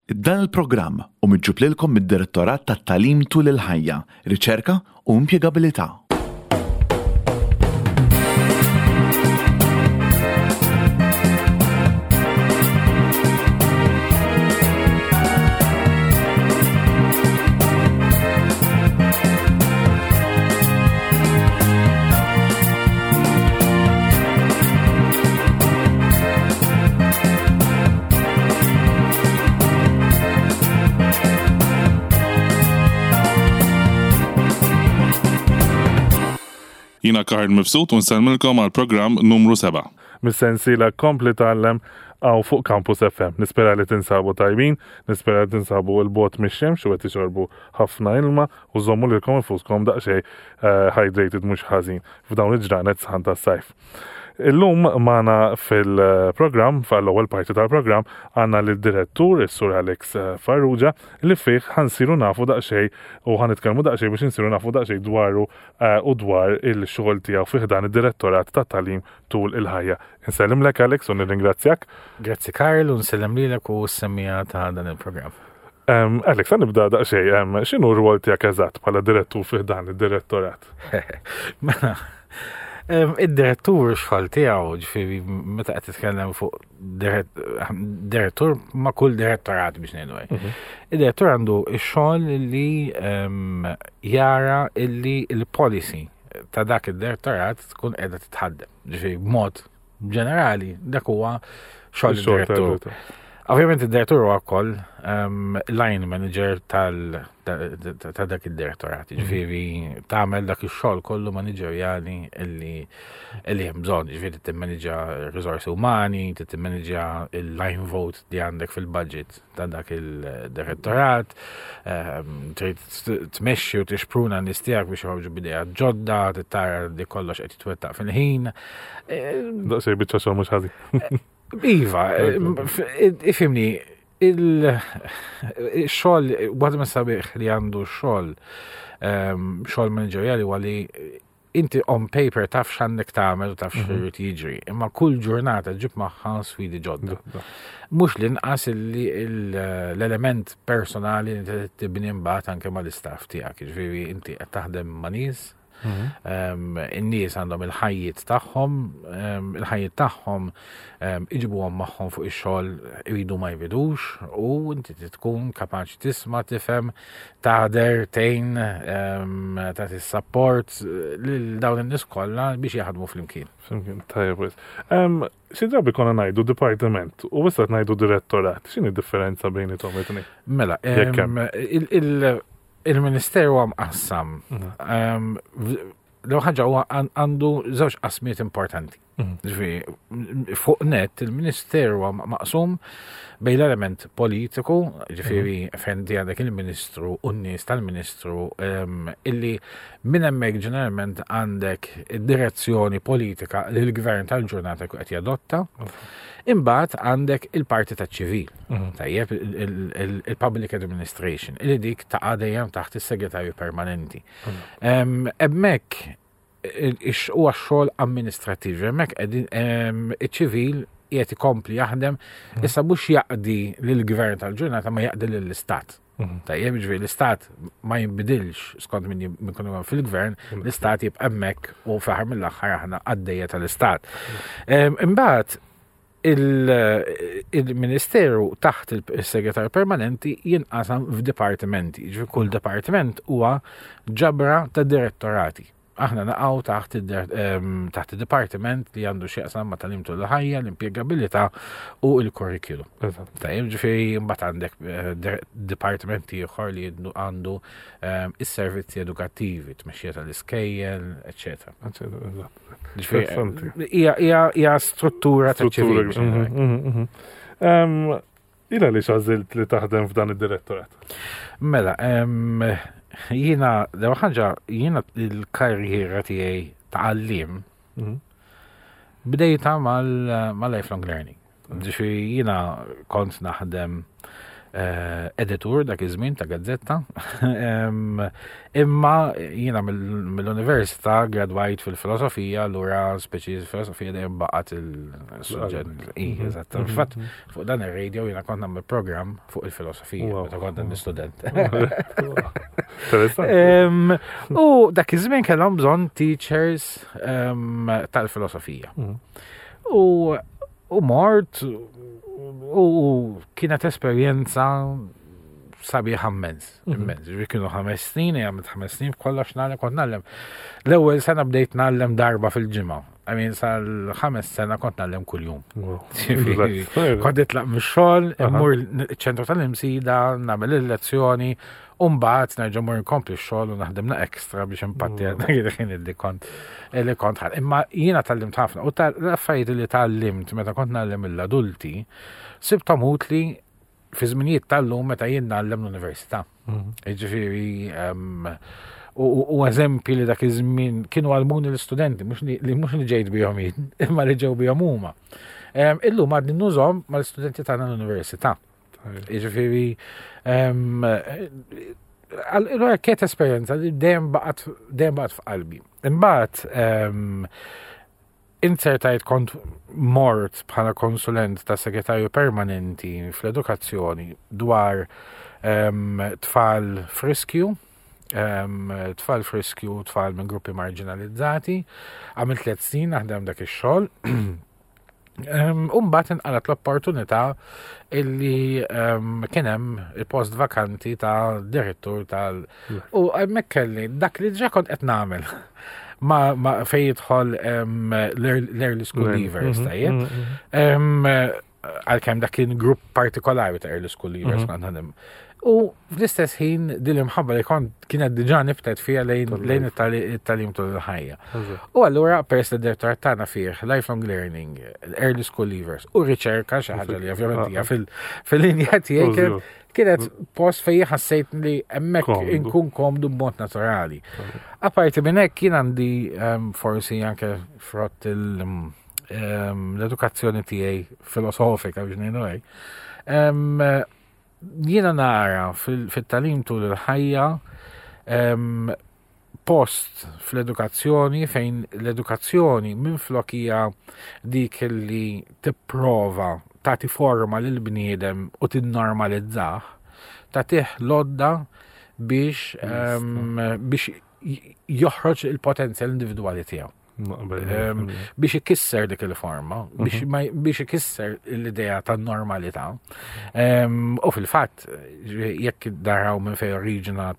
Dan il-programm hu miġjub lilkom mid-Direttorat tat-Tagħlim Tul il-Ħajja, Riċerka u Impjegabilità. Jina Karl Mifsud u nsellmilkom għal programm numru 7. Mis-sensiela Kompli Tgħallem hawn fuq Campus FM. Nispera li tinsabu tajbin, nispera li tinsabu 'l bogħod mix-xemx u qed tixorbu ħafna ilma u żommu lilkom infuskom daqsxejn eh, hydrated mhux ħażin f'dawn il-ġranet sħan tas-sajf. Illum magħna fil-programm, fl-ewwel parti tal-programm, għandna lid-direttur, is-Sur Alex Farrugia, li fih ħansiru nafu daqsxejn u ħanitkellmu daqsxejn biex insiru nafu daqsxejn dwaru eh, u dwar il-xogħol tiegħu fih dan id-direttorat tat-tagħlim tul il-ħajja. Insellimlek Alex u nirringrazzjak. Grazzi Karl u nsellem lilek u s-semmija ta' dan il-programm. Alex, għan nibda daqsxejn, x'inhu r-rwol tiegħek eżatt bħala direttur fih dan id-direttorat? Mela, id-direttur xogħol tiegħu, ġifieri meta qed titkellem fuq direttur ma' kull direttorat biex ngħidu hekk. Mhm. Id-direttur għandu x-xogħol li jara illi l-policy ta' dak id-direttorat tkun qiegħda titħaddem. Ġifieri b'mod ġenerali dak huwa xogħol id-direttur. Ovvjament id-direttur huwa wkoll ehm, line manager tal ta' dak id-direttorat, mhm. ġifieri tagħmel dak ix-xogħol kollu maniġerjali illi illi hemm bżonn, ġifieri timmanġa riżorsi umani, timmanġa il-line vote li għandek fil-budget ta' dak il-direttorat, ehm, trid tmexxi u tixpruna n-nies tiegħek biex joħorġu b'idea ġodda, tara li kollox qed jitwettaq fil-ħin. Ehm, Daqsxejn biċċa xogħol mhux ħażin. Iva, ifhimni, il-xogħol, waħda minn sabiħ li għandu xogħol, ehm, xogħol manageriali huwa li inti on paper taf x'għandek tagħmel u taf mhm. x'irid jiġri, imma kull ġurnata ġib magħha sfidi ġodda. Mhux l-inqas li l-element personali li tibni mbagħad anke mal-istaff tiegħek, jiġifieri inti qed taħdem ma' nies, mhm. in-nies għandhom il-ħajjiet tagħhom, il-ħajjiet tagħhom iġibuhom magħhom fuq ix-xogħol iridu ma jridux u inti tkun kapaċi tisma' tifhem taħder, tgħin, tagħti support lil dawn in-nies kollha biex jaħdmu flimkien. Flimkien, tajjeb wis. Xi drabi konna ngħidu dipartiment u issa qed ngħidu direttorat. X'inhi differenza bejniethom it-tnejn? Mela, il-Ministeru huwa mqassam. Mhm. L-ewwel ħaġa huwa għandu żewġ qasmiet importanti. Mhm. Ġifieri, fuq net il-Ministeru huwa maqsum bejn l-element politiku, ġifieri mhm. fejn di għandek il-Ministru u n-nies tal-Ministru illi minn hemmhekk ġeneralment għandek id-direzzjoni politika li l-gvern tal-ġurnata qed jadotta. Imbagħad għandek il-parti taċ-ċivil, mhm. tajjeb il-public administration, illi dik taqa' dejjem taħt is-segretarju permanenti. Hemmhekk huwa xogħol amministrattiv, hemmhekk iċ-ċivil qiegħed ikompli jaħdem mm. issa mhux jaqdi lill-gvern tal-ġurnata ma jaqdi lill-istat. Mm. Tajjeb, ġifieri l-istat ma jinbidilx skont min jkun fil-gvern, mm. l-istat jibqa' hemmhekk u fl-aħħar mill-aħħar aħna għaddejja tal-istat. Imbagħad il-Ministeru taħt il-Segretarju Permanenti jinqasam f'dipartimenti. Ġifieri kull dipartiment huwa ġabra ta' direttorati. Aħna naqgħu taħt ehm, taħt id-dipartiment li għandu x'jaqsam ma' tagħlim tul il-ħajja, l-impjegabilità u l-kurrikulum. Tajjeb, ġifieri mbagħad għandek eh, dipartiment ieħor li għandu ehm, is-servizzi edukattivi, tmexxija tal-iskejjel, eċċetera. Hija struttura ta' ċivil. Mhm, mhm, mhm. Ila li xażilt li taħdem f'dan id-direttorat? Mela, jiena, l ħaġa, jiena l-karriera tiegħi ta' għallim bdejta mal-lifelong learning. Ġifieri jiena kont naħdem. editur dak iż-żmien ta' gazzetta. Imma jiena mill-università gradwajt fil-filosofija, allura speċi filosofija dejjem baqgħet il-suġġett. Mhm. Eżatt. Mhm. Fatt fuq dan ir-radio jiena kont nagħmel programm fuq il-filosofija meta kont għandi student. U dak iż-żmien kellhom bżonn teachers tal-filosofija. Mhm. U U mort u kienet esperjenza sabiħa immens, mhm. immens. Ġifieri kienu ħames snin, għamilt ħames snin f'kollox nagħlem kont nagħlem. L-ewwel sena bdejt nagħlem darba fil-ġimgħa. I mean, sal-ħames sena kont nagħlem kuljum. Kont nitlaq mix-xogħol, immur ċentru tal-imsida, nagħmel il-lezzjoni, U mbagħad nerġa' mur nkompli x-xogħol u naħdem na ekstra biex impatti għal dak il-ħin li kont li kont ħal. Imma jiena tgħallimt ħafna u l-affarijiet li tgħallimt meta kont ngħallem lill-adulti sibthom utli fi żminijiet tal-lum meta jien ngħallem l-università. Mhm. Jiġifieri u eżempji li dak iż-żmien kienu għalmuni l-istudenti, mhux li mhux li ġejt bihom jien, imma li ġew bihom huma. Illum għadni nużhom mal-istudenti tagħna l-università. Jiġifieri allura kienet esperjenza li dejjem baqgħet dejjem baqgħet f'qalbi. Imbagħad inzertajt kont mort bħala konsulent ta' segretarju permanenti fl-edukazzjoni dwar tfal friskju, tfal friskju, tfal minn gruppi marginalizzati. Għamilt tliet snin naħdem dak ix-xogħol. U mbagħad inqalat l-opportunità illi kien hemm il-post vakanti ta' direttur tal. U hemmhekk kelli dak li ġa kont qed nagħmel ma, ma fej jidħol l-early school leavers, tajjeb. Għalkemm dak kien grupp partikolari ta' early school leavers kont naħdem. U fl-istess ħin din l-imħabba li kont kienet diġà nibtet fija lejn lejn it-tagħlim tul il-ħajja. U allura peress li d-direttorat tagħna fih lifelong learning, early school leavers u riċerka xi ħaġa li ovvjament hija fil-linja tiegħi kienet post fejn ħassejt li hemmhekk inkun komdu b'mod naturali. Apparti minn hekk jien għandi ehm, forsi anke frott il- ehm, l-edukazzjoni tiegħi filosofika biex ngħidu hekk. Ehm, jiena nara fit-tagħlim tul il-ħajja post fl-edukazzjoni fejn l-edukazzjoni minflok hija dik li tipprova tagħti forma lil bniedem u tinnormalizzah, tagħtih lodda biex biex joħroġ il-potenzjal individwali tiegħu. Biex ikisser dik il-forma, mhm. biex ikisser l-idea ta' normalità. U fil-fatt, jekk daraw minn fej oriġina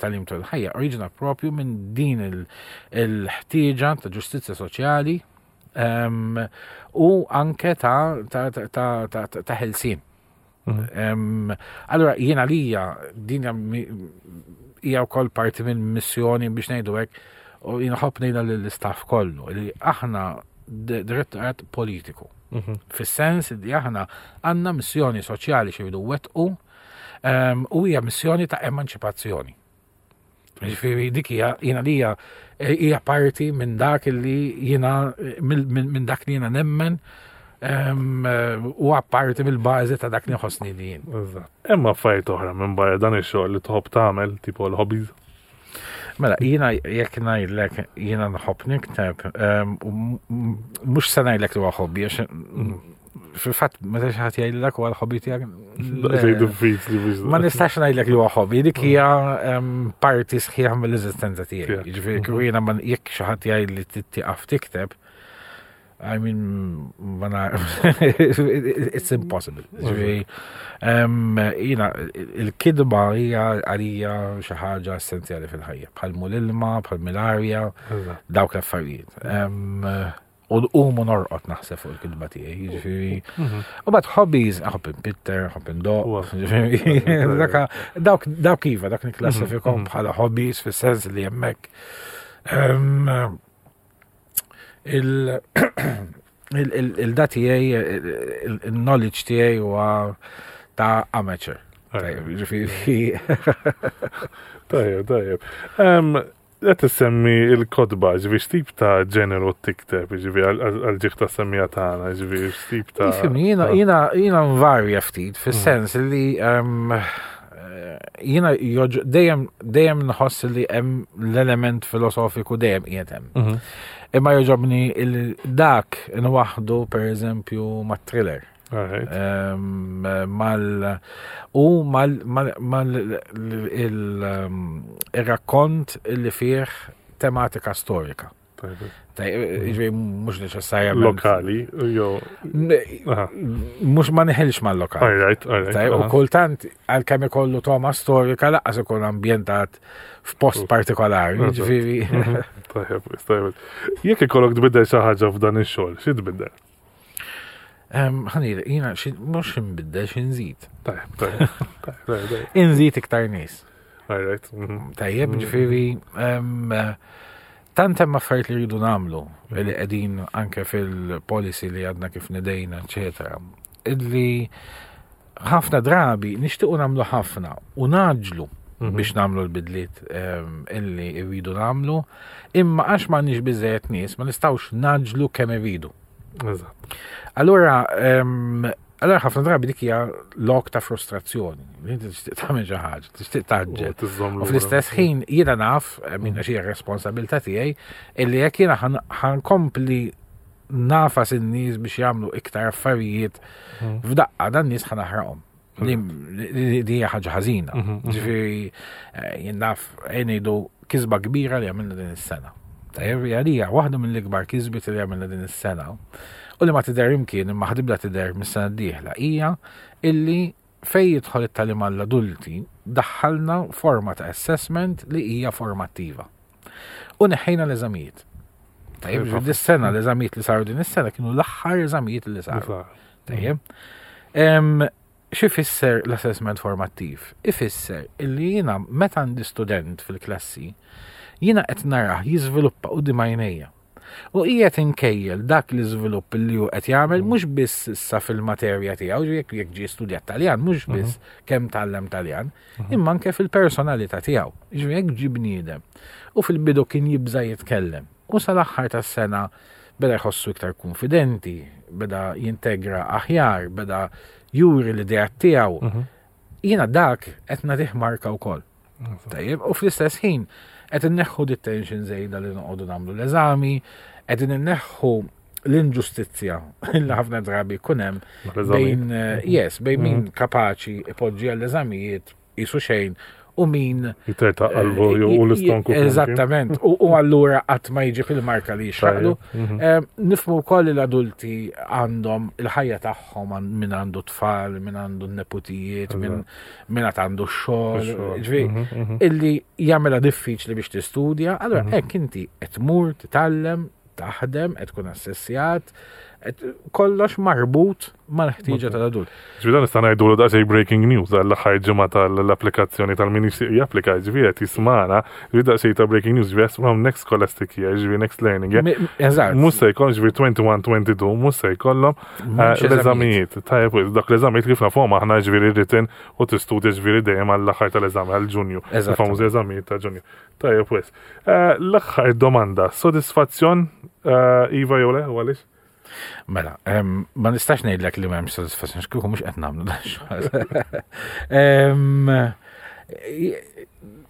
tal-im tal-ħajja, oriġina propju minn din il-ħtieġa ta' ġustizzja soċjali u anke ta' ħelsien. Mhm. Allora, jiena lija din hija wkoll parti minn missjoni biex ngħidu hekk u jiena ħobb ngħidha lill-istaff kollu li aħna direttorat politiku. Mhm. Fis-sens li aħna għandna missjoni soċjali xi jridu wettqu u hija missjoni ta' emanċipazzjoni. Ġifieri dik hija jiena li hija hija parti minn dak li jiena minn dak li jiena nemmen u parti mill-bażi ta' dak li nħossni li jien. Hemm affarijiet oħra minn barra dan ix-xogħol li tħobb tagħmel, tipo l-hobbies? Mela, jiena jekk ngħidlek jiena nħobb nikteb, mhux se ngħidlek li huwa hobby għax fil-fatt meta xi ħadd jgħidlek huwa l-hobby tiegħek. Ma nistax ngħidlek li huwa hobby, dik hija parti sħiħa mill-eżistenza tiegħi. Jiġifieri kieku jiena jekk xi ħadd jgħid li tieqaf tikteb, I mean, ma it's impossible. Jiġifieri, jiena il-kidba hija għalija xi ħaġa essenzjali fil-ħajja, bħal l-ilma, bħal mill-arja, dawk l-affarijiet. U nqum u norqod naħseb fuq il-kitba tiegħi, jiġifieri. Mhm. U bad hobbies, ħobb inpitter, ħobb indoq, jiġifieri. Dawk dawk iva, dak nikklassifikhom mhm. bħala hobbies fis-sens li hemmhekk. Ehm, il-da tiegħi, il-knowledge tiegħi huwa ta' amateur. Ġifieri. Tajjeb, tajjeb. Qed issemmi l-kotba, ġifieri x'tip ta' ġeneru tikteb, ġifieri għal-ġieħ ta' semmija tagħna, ġifieri x'tip ta' Ifhimni, jiena jiena jiena nvarja ftit fis-sens li jiena dejjem dejjem nħoss li hemm l-element filosofiku dejjem qiegħed hemm. Mhm. Imma joġobni dak nwaħdu pereżempju mat-thriller. Mal u mal mal il-rakkont li fih tematika storika. Ġifieri mhux neċessarjament. Lokali, jew. Mhux ma neħilx mal-lokali. Alright, alright. U kultant għalkemm ikollu toma storika laqqas ikun ambjentat f'post partikolari, ġifieri. Mhm. Tajjeb, tajjeb. Jekk ikollok tbiddel xi ħaġa f'dan ix-xogħol, xi tbiddel? Ħanir, jina, mux nbiddel, xinżid. Tajjeb, tajjeb. Inżid iktar nies. Alright. Mhm. Tajjeb, mhm. ġifieri, tant hemm affarijiet li rridu nagħmlu li qegħdin anke fil-policy li għadna kif nidejna, eċetera. Illi ħafna drabi nixtiequ nagħmlu ħafna u naġlu mhm. biex nagħmlu l-bidliet illi rridu nagħmlu, imma għax m'għandniex biżejjed nies ma nistgħux naġlu kemm irridu. Eżatt. Allura, allura ħafna drabi dik hija lok ta' frustrazzjoni. Inti tixtieq tagħmel xi ħaġa, tixtieq taġġel. U fl-istess ħin jiena naf, eh, minn xi responsabilità tiegħi, illi jekk jiena ħankompli nafas in-nies biex jagħmlu iktar affarijiet mhm. f'daqqa dan nies ħanaħraqhom. Li hija ħaġa ħażina. Mhm, mhm. Ġifieri eh, jien naf eh, ngħidu kisba kbira li għamilna din is-sena. Tajjeb għalija waħda mill-ikbar kisbiet li għamilna din is-sena u li ma tidher imkien imma ħadibda tidher mis-sena d-dieħla hija illi fej jidħol it-tagħlim għall-adulti daħħalna forma ta' assessment li hija formattiva. U neħħejna l-eżamijiet. Tajjeb, dis-sena l-eżamijiet li saru din is-sena kienu l-aħħar eżamijiet li saru. Tajjeb. Xi fisser l-assessment formattiv? Ifisser illi jiena meta għandi student fil-klassi, jiena qed narah jiżviluppa quddiem għajnejja. U qiegħed inkejjel dak l-iżvilupp li hu qed jagħmel mm. mhux biss issa fil-materja tiegħu, jekk jekk ġie studjat Taljan, mhux mhm. biss kemm tgħallem Taljan, mhm. imma anke fil-personalità tiegħu. Ġifieri jekk ġie bniedem u fil-bidu kien jibża' jitkellem u sal-aħħar tas-sena beda jħossu iktar kunfidenti, beda jintegra aħjar, beda juri l-ideat tiegħu. Mhm. Jiena dak qed nagħtih marka wkoll. Tajjeb, u fl-istess ħin qed inneħħu dit-tension żejda li noqogħdu nagħmlu l-eżami, qegħdin inneħħu l-inġustizzja li ħafna drabi jkun hemm bejn eh, yes, bejn min mhm. kapaċi ipoġġi għall-eżamijiet qisu xejn u min. Jiterta qalbu eh, u l-istonku. Eżattament, u allura qatt ma jiġi fil-marka li jixraqlu. Mhm. Eh, nifmu wkoll li l-adulti għandhom il-ħajja tagħhom min għandu tfal, min għandu neputijiet, min għad għandu xogħol, mhm, mhm. illi jagħmilha diffiċli biex tistudja, allura hekk inti qed tmur titgħallem, taħdem, qed tkun assessjat, kollox marbut mal-ħtieġa tal-adult. Ġifieri dan nista' ngħidulu daqsxejn breaking news għall-aħħar ġimgħa tal-applikazzjoni tal-min jixtieq japplika, ġifieri qed jismana, ġifieri daqsxejn ta' breaking news, ġifieri from next scholastic year, ġifieri next learning year. Eżatt. Mhux se jkollhom ġifieri 21-22 mhux se jkollhom eh, l-eżamijiet. Tajjeb, dak l-eżamijiet kif nafhom aħna ġifieri written u tistudja ġifieri dejjem għall-aħħar tal-eżami għal Ġunju. Il-famużi eżamijiet ta' Ġunju. Tajjeb wis. Eh, l-aħħar domanda, sodisfazzjon eh, iva jew le, u għaliex? Mela, ma nistax ngħidlek li m'hemmx sodisfazzjon x'kieku mhux qed nagħmlu dan xogħol.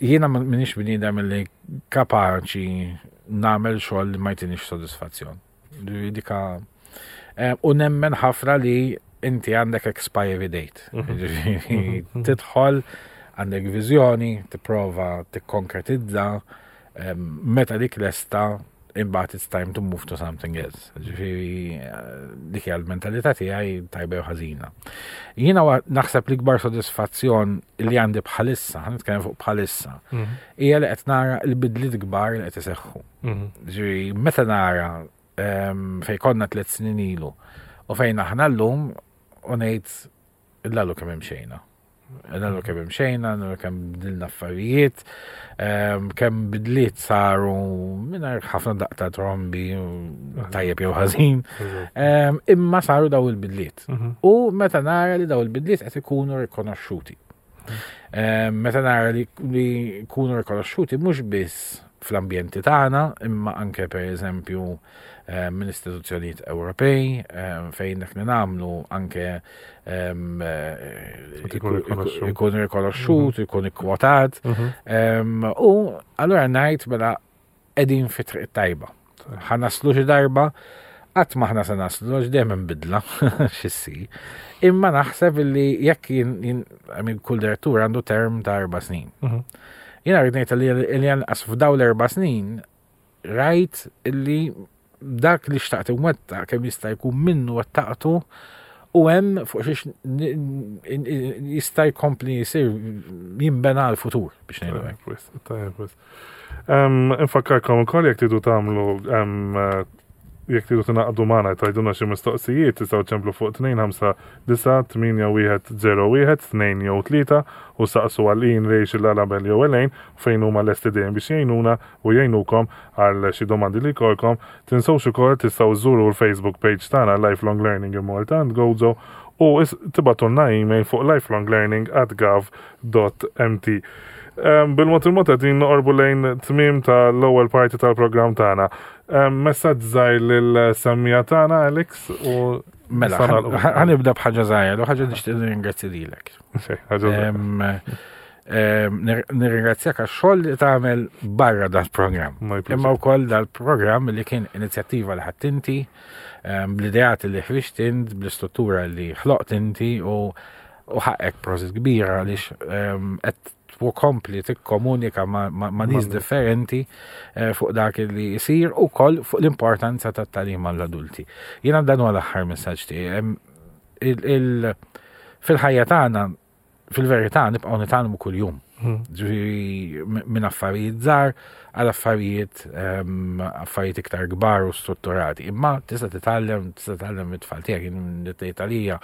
Jiena m'iniex bniedem li kapaċi nagħmel xogħol li ma jtinix sodisfazzjon. Dika u nemmen ħafna li inti għandek expiry date. Mhm. Mhm. Tidħol, għandek viżjoni, tipprova tikkonkretizza, meta dik lesta imbagħad it's time to move to something else. Ġifieri eh, dik hija l-mentalità tiegħi tajba jew ħażina. Jiena naħseb l-ikbar sodisfazzjon li għandi bħalissa, nitkellem fuq bħalissa, mhm. hija li qed nara l-bidliet kbar li qed iseħħu. Mhm. Ġifieri meta nara ehm, fejn konna tliet snin ilu u fejn aħna llum u ngħid l-għalu kemm imxejna. L-għalu kemm imxejna, l-għalu kemm bdilna affarijiet, ehm, kemm bidliet saru mingħajr ħafna daqta trombi tajjeb jew ħażin, ehm, imma saru daw il-bidliet. Mhm. U meta nara li daw il-bidliet qed ikunu rikonoxxuti. Ehm, meta nara li jkunu rikonoxxuti mhux biss fl-ambjenti tagħna, imma anke pereżempju eh, minn istituzzjonijiet Ewropej eh, fejn dak li nagħmlu anke ehm, eh, ikun rikonoxxut, mhm. ikun ikkwotat. Mhm. Ehm, u allura ngħid mela qegħdin fi triq tajba. Ħa naslu xi darba, qatt ma ħna se naslu, għax dejjem hemm bidla x'issir. Imma naħseb li jekk jien kull direttur għandu term ta' erba' snin. Mhm. Jiena rrid ngħid li anqas f'daw l-erba' snin rajt li dak li xtaqt imwettaq kemm jista' jkun minnu wettaqtu u hemm fuq xiex jista' jkompli jsir jinbena l-futur biex ngħidu hekk. Infakkarkom ukoll jekk tridu tagħmlu jekk tridu tingħaqdu magħna tgħidulna xi mistoqsijiet tistgħu ċemplu fuq 2598101 2 jew 3 u saqsu għal Ian, Rachel, Alabel jew Elaine fejn huma lesti dejjem biex jgħinuna u jgħinukom għal xi domandi li jkollkom. Tinsewx ukoll tistgħu żżuru l-Facebook page tagħna Lifelong Learning in Malta and Gozo u tibgħatulna email fuq lifelonglearning@gov.mt. Bil-mod il-mod qegħdin noqorbu lejn tmiem tal-ewwel parti tal-programm tagħna. Messaġġ żgħir lil-semmija tagħna Alex u Mela, ħanibda b'ħaġa żgħira, u ħaġa nixtieq nirringrazzja lilek. Nirringrazzjak għax-xogħol li tagħmel barra dal-programm. Imma wkoll dal-programm li kien inizjattiva li ħadd inti, bl-ideat li ħriġt int, bl-istruttura li ħloqt inti u U ħaqek prosit kbira għaliex ehm, qed tkompli tikkomunika ma' nies differenti eh, fuq dak li jsir u koll fuq l-importanza tat-tagħlim għall-adulti. Jiena dan huwa l-aħħar messaġġ tiegħi. Fil-ħajja tagħna fil-verità nibqgħu nitgħallmu kuljum. Hmm. Ġifieri minn affarijiet żgħar għal affarijiet ehm, affarijiet iktar kbar u strutturati. Imma tista' titgħallem, tista' titgħallem mit-tfal tiegħek, tgħid għalija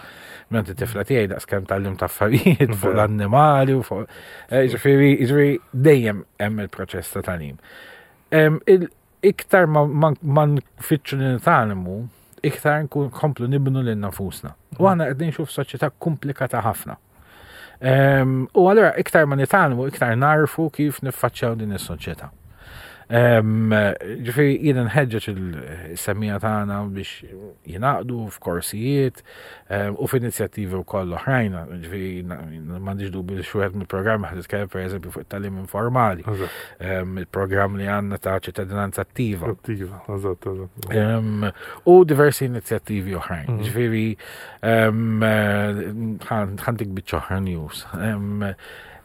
minn it-tifla tiegħi daqskemm tgħallim ta' affarijiet fuq l-annimali u fuq. Eh, ġifieri, ġifieri dejjem hemm il-proċess ta' tagħlim. Ehm, iktar ma nfittxu li nitgħallmu, iktar nkomplu nibnu lil nafusna. U aħna qed ngħixu f'soċjetà komplikata ħafna. Ehm, u allura iktar ma nitgħallmu, iktar narfu kif niffaċċjaw din is-soċjetà. Ehm, ġifieri jiena nħeġġeġ il-semmija tagħna biex jingħaqdu f'korsijiet ehm, u f'inizjattivi wkoll oħrajn, ġifieri m'għandix dubju li xi wieħed mill-programmi ħad titkellem pereżempju fuq it-tagħlim informali, ehm, il-programm li għandna ta' ċittadinanza attiva. Attiva, eżatt, eżatt. U diversi inizjattivi oħrajn. Mhm. Ġifieri ħantik biċċa oħra news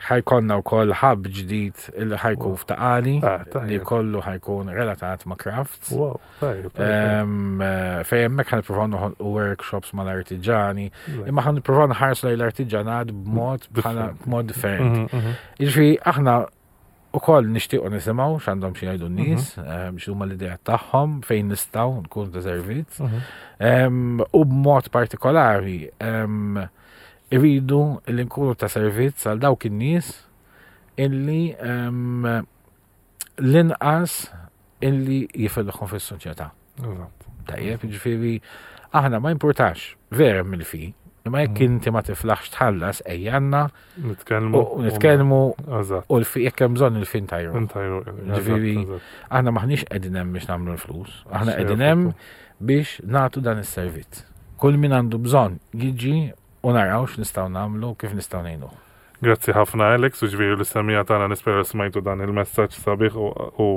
ħajkonna wkoll ħab ġdid li ħajkun f'taqali ah, li kollu ħajkun relatat ma' crafts. Wow, eh, Fej hemmhekk ħanipprovaw noħolqu workshops mal-artiġani, imma ħanipprovaw nħarsu lejn l-artiġanat b'mod bħala b'mod differenti. Mhm, mhm. Jiġifieri aħna ukoll nixtiequ nisimgħu x'għandhom xi jgħidu n-nies, mhm. eh, x'huma l-idea tagħhom fejn nistgħu nkun ta' servizz. U b'mod partikolari Irridu li nkunu ta' servizz għal dawk in-nies illi ehm, l-inqas illi jifilħu fis-soċjetà. Tajjeb, ġifieri aħna ma importax vera mill-fi, imma jekk mm. inti ma tiflaħx tħallas ejjanna nitkellmu u nitkellmu u l-fi jekk hemm bżonn il-fin tajru. Ġifieri aħna maħniex qegħdin hemm biex nagħmlu l-flus, aħna qegħdin hemm biex nagħtu dan is-servizz. Kull min għandu bżonn jiġi u naraw x'nistgħu nagħmlu kif nistgħu ngħinuh. Grazzi ħafna Alex, u ġviri l-istemija tagħna nispera smajtu dan il-messaġġ sabiħ u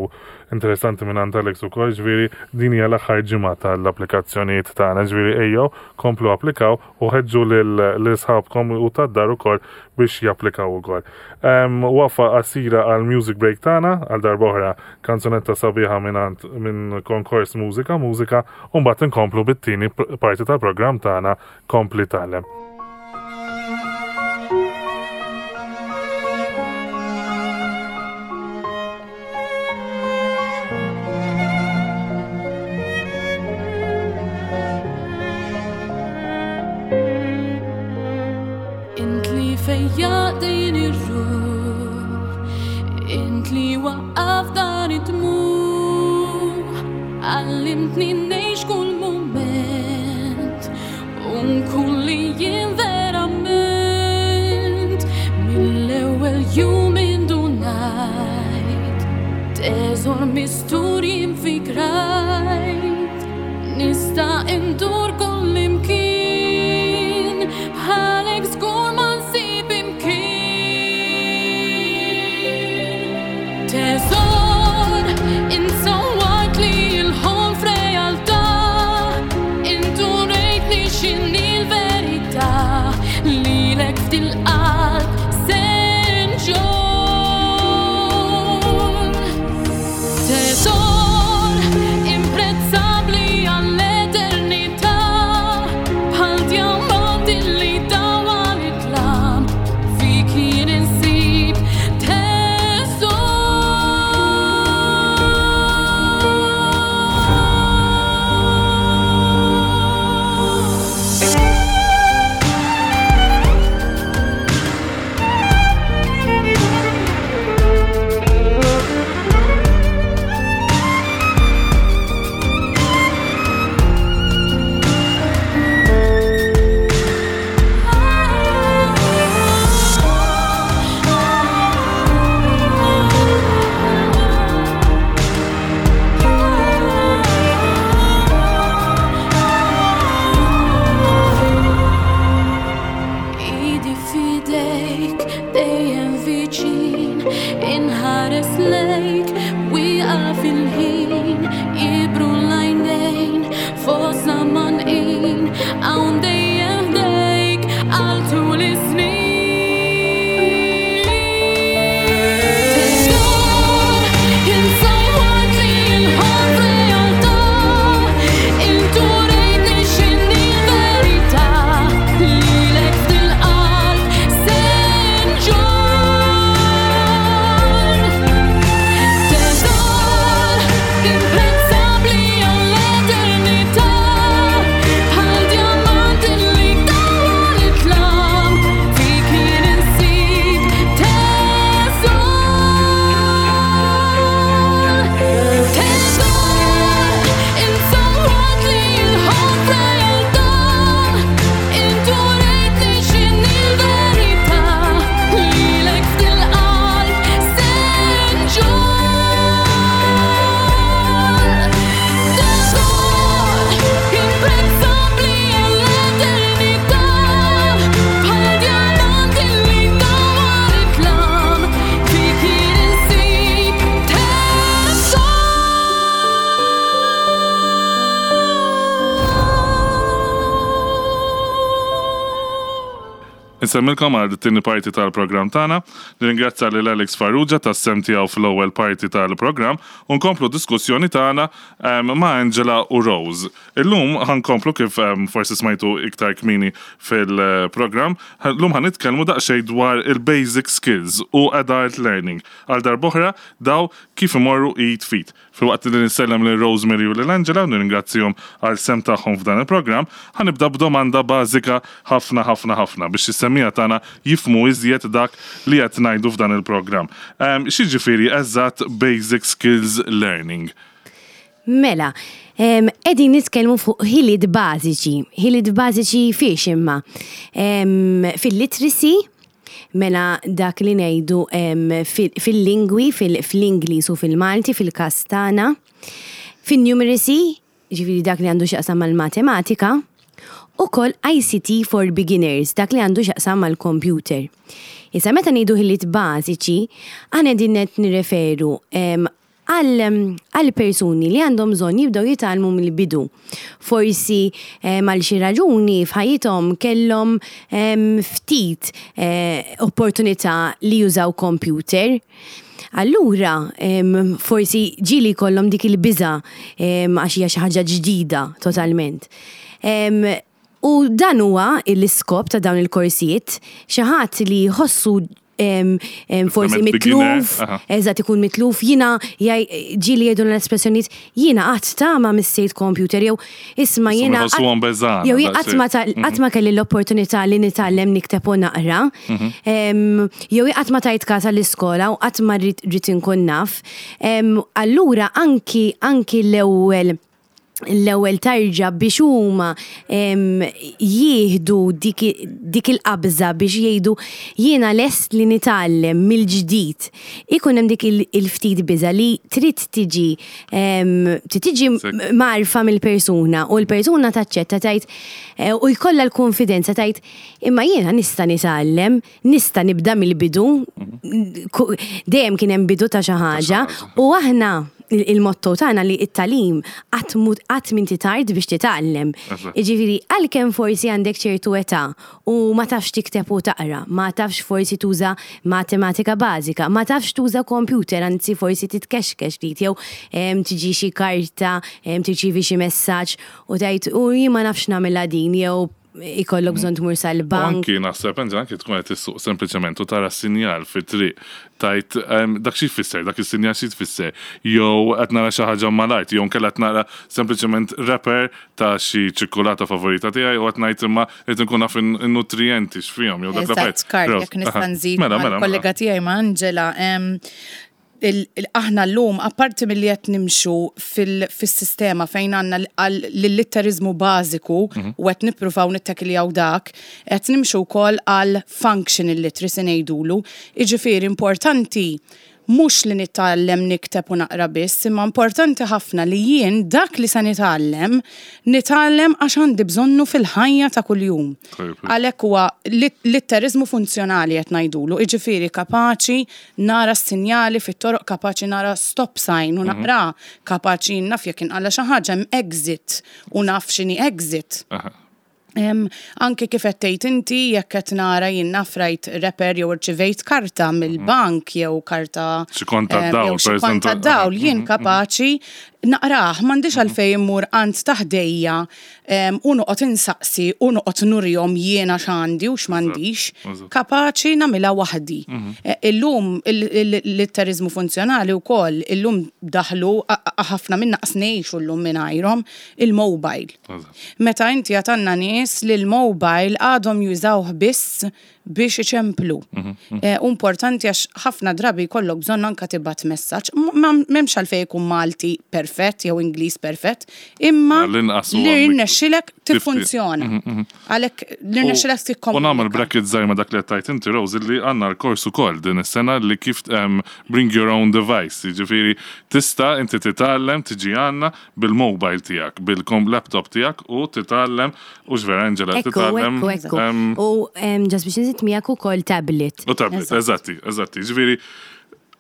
interessanti minn għand Alex ukoll, ġviri din hija l-aħħar ġimgħa tal-applikazzjonijiet tagħna, ġviri ejjew komplu applikaw u ħeġġu lil sħabkom u tad-dar ukoll biex japplikaw ukoll. Wafa qasira għal music break tagħna għal darba oħra kanzunetta sabiħa minn minn konkors mużika mużika u mbagħad inkomplu bit-tieni parti tal-programm tagħna kompli tagħlem. Int li fejjaq din ir-ruħ, int li waqqaf dan id-dmugħ, għallimtni ngħix kull mument u nkun li jien verament mill-ewwel jum indunajt. Teżor mistur jien fik rajt Nista' indur kullimkien Bħalek żgur ma nsib imkien Teżor int sawwartli l-ħolm f'realtà Int urejtni x'inhi l-verità Lilek f'dil-qalb se nġorr Teżor imprezzabbli għall-eternità Bħal djamant illi dawwal id-dlam Fik jien insib teżor. Idi f'idejk dejjem viċin Inħares lejk wieqaf il-ħin Jibru l-għajnejn fostna mgħannqin Hawn dejjem ħdejk għal tul is-snin Teżor int sawwartli l-ħolm f'realtà Int urejtni x'inhi l-verità Lilek f'dil-qalb se nġorr Teżor imprezzabbli għall-eternità Bħal djamant illi dawwal id-dlam Fik jien insib teżor Teżor int sawwartli l-ħolm f'realtà Int urejtni x'inhi l-verità Lilek f'dil-qalb se nġorr Teżor imprezzabbli għall-eternità Bħal djamant illi dawwal id-dlam Fik jien insib teżor. Insemmilkom għal it-tieni parti tal-programm tagħna. Nirringrazzja lil Alex Farrugia tas-sehem tiegħu fl-ewwel parti tal-programm u nkomplu d-diskussjoni tagħna ma' Angela u Rose. Illum ħa nkomplu kif forsi smajtu iktar kmieni fil-programm, llum ħa nitkellmu daqsxejn dwar il-basic skills u adult learning. Għal darb'oħra daw kif imorru id f'id. Filwaqt li nsellem lil Rosemary u lil Angela u nirringrazzjahom għal sehem tagħhom f'dan il-programm, ħa nibda b'domanda bażika ħafna ħafna ħafna biex is-semmiegħa tagħna jifhmu iżjed dak li qed ngħidu f'dan il-programm. X'jiġifieri eżatt basic skills learning? Mela, qegħdin nitkellmu fuq ħiliet bażiċi. Ħiliet bażiċi fiex imma? Fil-literacy, mela dak li ngħidu fil-lingwi, fl-Ingliż u fil-Malti, fil-każ tagħna. Fin-numeracy, ġifieri dak li għandu x'jaqsam mal-matematika, ukoll ICT for beginners, dak li għandu x'jaqsam mal-computer. Issa meta ngħidu ħiliet bażiċi, aħna qegħdin qed nirreferu għal persuni li għandhom bżonn jibdew jitgħallmu mill-bidu. Forsi għal xi raġuni f'ħajjithom kellhom ftit opportunità li jużaw computer. Allura, forsi ġieli jkollhom dik il-biża' għax hija xi ħaġa ġdida totalment. U dan huwa l-iskop ta' dawn il-korsijiet, xi ħadd li jħossu forsi mitluf, eżatt ikun mitluf, jiena ġieli jgħidu l-espressjonijiet, jiena qatt ta' ma missejt computer jew isma' jiena jew jien qatt ma qatt ma kelli l-opportunità li nitgħallem nikteb u naqra, jew jien qatt ma tajt kas għall-iskola u qatt ma rrid inkun naf. Allura anki anki l-ewwel. L-ewwel tarġa biex huma jieħdu dik il-qabża biex jgħidu jiena lest li nitgħallem mill-ġdid. Ikun hemm dik il-ftit biża' li trid tiġi trid tiġi mgħarrfa mill-persuna u l-persuna taċċetta tgħid eh, u jkollha l-konfidenza tgħid imma jiena nista' nitgħallem, nista' nibda mill-bidu. Dejjem kien hemm bidu ta' xi ħaġa u aħna il-motto tagħna li it-tagħlim qatt m'inti tard biex titgħallem. Jiġifieri għalkemm forsi għandek ċertu età u ma tafx tikteb u taqra, ma tafx forsi tuża matematika bażika, ma tafx tuża computer, anzi forsi titkexkex ftit jew tiġi xi karta, tirċievi xi messaġġ u tgħid u jien ma nafx nagħmilha din jew ikollok bżonn tmur sal-bank. Anki naħseb, Enzo, anki tkun qed issuq sempliċement u tara sinjal fit-triq tajt dak xi jfisser, dak is-sinjal xi tfisser, jew qed nara xi ħaġa mal-art, jew nkella qed nara sempliċement wrapper ta' xi ċikkulata favorita tiegħi u qed ngħid imma rrid inkun naf in-nutrijenti x'fihom jew dak l-affarijiet. Eżatt, Karl, jekk nista' nżid mela, mela, mela. kollega tiegħi ma' Angela, aħna llum, apparti milli qed nimxu fis-sistema fejn għandna l-litteriżmu bażiku mhm. u qed nippruvaw nittakiljaw dak, qed nimxu wkoll għal functional literacy ngħidulu. Jiġifieri importanti mhux li nitgħallem nikteb u naqra biss, imma importanti ħafna li jien dak li se nitgħallem, nitgħallem għax għandi bżonnu fil-ħajja ta' kuljum. Għalhekk huwa litteriżmu funzjonali qed ngħidulu, jiġifieri kapaċi nara s-sinjali fit-toroq kapaċi nara stop sign u mhm. naqra, kapaċi naf jekk inqalla xi ħaġa hemm exit u naf x'inhi exit. Anke kif qed tgħid inti jekk qed nara jien naf rajt reper jew irċivejt karta mhm. mill-bank jew karta xi kont tad-dawl, xi kont tad-dawl, jien mhm, kapaċi naqrah, m'għandix għalfejn immur għand ta' ħdejja u noqgħod insaqsi u noqgħod nurihom jiena x'għandi u x'm'għandix. Kapaċi nagħmilha waħdi. Mhm. E, illum il-litteriżmu funzjonali wkoll illum daħlu ħafna minna qas ngħixu llum mingħajrhom il-mobile. Meta inti għad għandna nies li l-mobile għadhom jużawh biss biex iċemplu. Mhm, mhm. Eh, importanti għax ħafna drabi jkollok bżonn anka tibgħat messaġġ. M'hemmx għalfejn ikun Malti perfett jew Ingliż perfett, imma li rnexxilek tiffunzjona. Mhm, Għalhekk li rnexxilek tikkomunika. U nagħmel bracket żgħir ma' dak li qed tgħid inti Rose li għandna l-kors ukoll din is-sena li kif bring your own device, jiġifieri tista' inti titgħallem tiġi għandna bil-mobile tiegħek, bil-laptop tiegħek u titgħallem, u vera Angela, titgħallem. Ekku, ekku. U ġas biex nżid miegħek ukoll tablet. U tablet, eżatti, eżatti. Ġifieri,